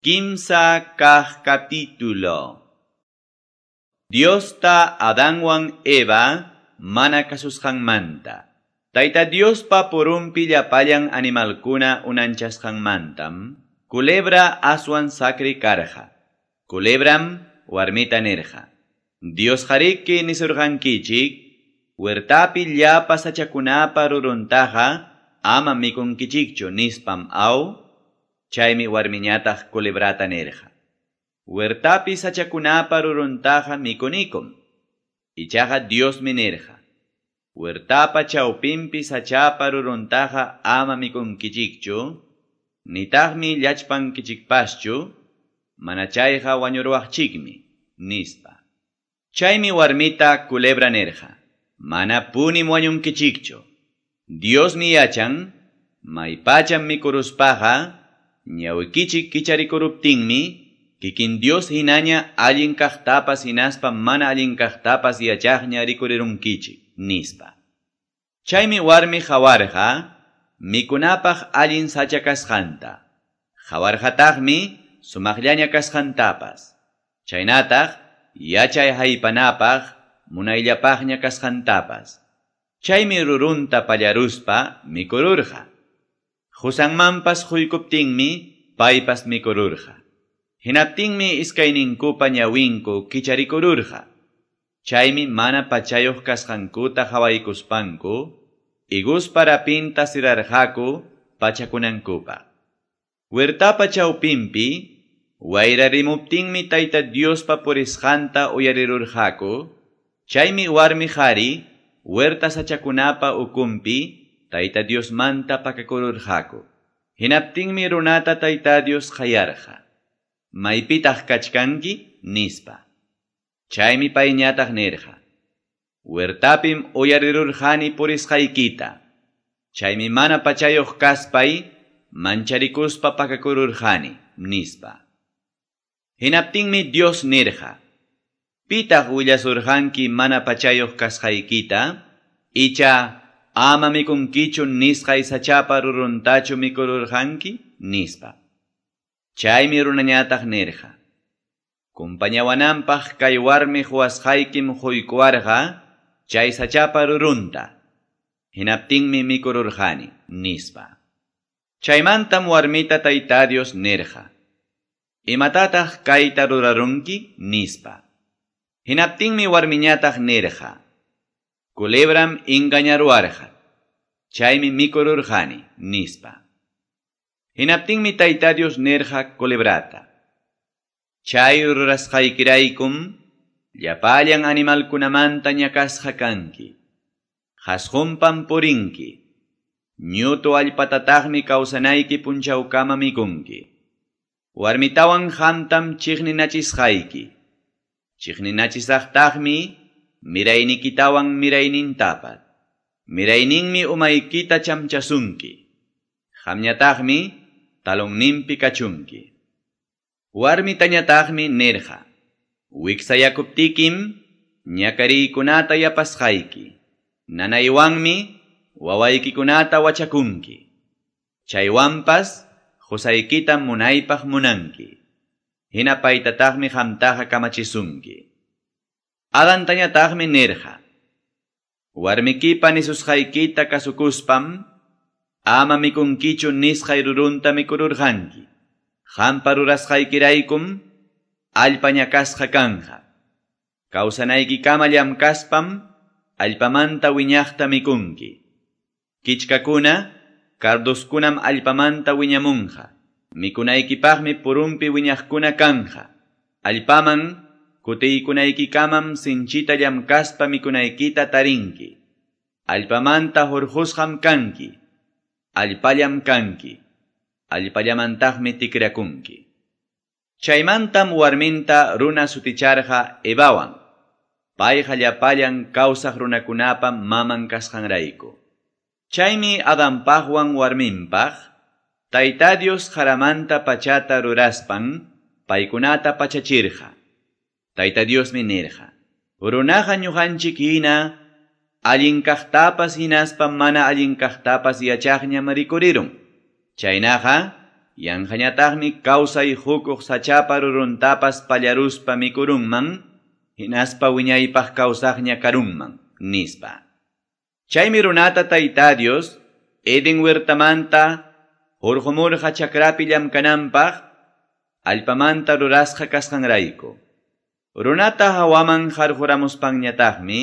Kimsa kaq capítulo. Diosta Adanwan Eva mana kasusqanmanta. Tayta Diospa purunpi llapallan animalkuna unanchasqanmantam, culebra aswan sakri karqa. Culebram warmita nirqa: Dios qariki nisurqankichik, huertapi llapa sachakunapa ruruntaqa ama mikunkichikchu nispam aw. Chaymi warmiñataq culebrata nirqa: Huertapi sachakunapa ruruntaqa mikunikum. Ichaqa Diosmi nirqa: Huertapa chawpinpi sachapa ruruntaqa ama mikunkichikchu, nitaqmi llachpankichikpaschu, mana chayqa wañuruwaqchikmi, nispa. Chaymi warmita culebra nirqa: Mana punim wañunkichikchu. Diosmi yachan, maypacham mikuruspaqa, ñawikichik kicharikuruptinmi, kikin Dios hinaña allin kaqtapas hinaspa mana allin kaqtapas yachaqña rikurirunkichik, nispa. Chaymi warmi qawarqa mikunapaq allin sacha kasqanta. Qawarqataqmi sumaqllaña kasqantapas. Chaynataq yachay haypanapaq munayllapaqña kasqantapas. Chaymi rurunta pallaruspa mikururqa. Qusanmanpas quykuptinmi paypas mikururqa. Hinaptinmi iskayninkupa ñawinku kicharikururqa. Chaymi mana pachayuq kasqankuta qhawaykuspanku, higuspa rapinta sirarqaku pachakunankupaq. Huertapa chawpinpi wayrarimuptinmi Tayta Diospa purisqanta uyarirurqaku. Chaymi warmi qhari huerta sachakunapa ukunpi Tayta Diosmanta pakakururqaku. Hinaptinmi runata Tayta Dios qayarqa: Maypitaq kachkanki, nispa. Chaymi payñataq nirqa: Huertapim uyarirurqani purisqaykita. Chaymi mana pachayuq kaspay mancharikuspa pakakururqani, nispa. Hinaptinmi Dios nirqa: Pitaq willasurqanki mana pachayuq kasqaykita? Icha ama mikunkichu nisqay sachapa ruruntachu mikururqanki, nispa. Chaymi runañataq nirqa: Kumpañawananpaq kay warmi quwasqaykim quykuwarqa chay sachapa rurunta. Hinaptinmi mikururqani, nispa. Chaymantam warmita Tayta Dios nirqa: Imatataq kayta rurarunki, nispa. Hinaptinmi warmiñataq nirqa: Culebram engañaruwarqa. Chaymi mikururqani, nispa. Hinaptinmi Tayta Dios nirqa culebrata: Chay rurasqaykiraykum llapallan animalkunamanta ñakasqa kanki. Qasqunpam purinki. Ñutu allpatataqmi kawsanayki punchawkama mikunki. Warmitawan qamtam chiqninachisqayki. Chiqninachisaqtaqmi miraynikitawan miraynintapas. Mirayninmi umaykita chamchasunki. Qamñataqmi talonninpi kachunki. Warmitañataqmi nirqa: Wiksayakuptikim ñakariykunata yapasqayki. Nanaywanmi wawaykikunata wachakunki. Chaywanpas qusaykitam munaypaq munanki. Hina paytataqmi qamtaqa kamachisunki. Adantañataqmi nirqa: Warmikipa nisusqaykita kasukuspam ama mikunkichu nisqay rurunta mikururqanki. Qampa rurasqaykiraykum allpa ñakasqa kanqa. Kawsanaykikama llamkaspam allpamanta wiñaqta mikunki. Kichkakuna, carduskunam allpamanta wiñamunqa. Mikunaykipaqmi purunpi wiñaqkuna kanqa. Allpaman kutiykunaykikamam sinchita llamkaspa mikunaykita tarinki. Allpamanta hurqusqam kanki. Allpallam kanki. Allpallamantaqmi tikrakunki. Chaymantam warminta runa suticharqa Evawan. Payqa llapallan kawsaq runakunapa maman kasqanrayku. Chaymi Adanpaqwan warminpaq Tayta Dios qaramanta pachata ruraspan paykunata pachachirqa. Tayta Diosmi nirqa: Runaqa ñuqanchik hina allin kaqtapas hinaspa mana allin kaqtapas yachaqñam rikurirun. Chaynaqa yanqañataqmi kawsay qukuq sachapa ruruntapas pallaruspa mikurunman, hinaspa wiñaypaq kawsaqña karunman, nispa. Chaymi runata Tayta Dios, Eden huertamanta, hurqumurqa chakrapi llamkananpaq, allpamanta rurasqa kasqanrayku. Runata hawaman harquramuspanñataqmi,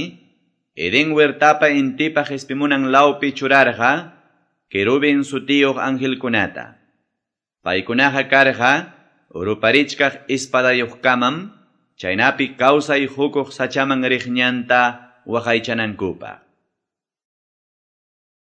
Eden huertapa intipa qespimunan lawpi churarqa, querubin sutiyuq angelkunata. Paykunaqa karqa, ruparichkaq espadayuqkamam, chaynapi kawsay qukuq sachaman riq ñanta waqaychanankupaq.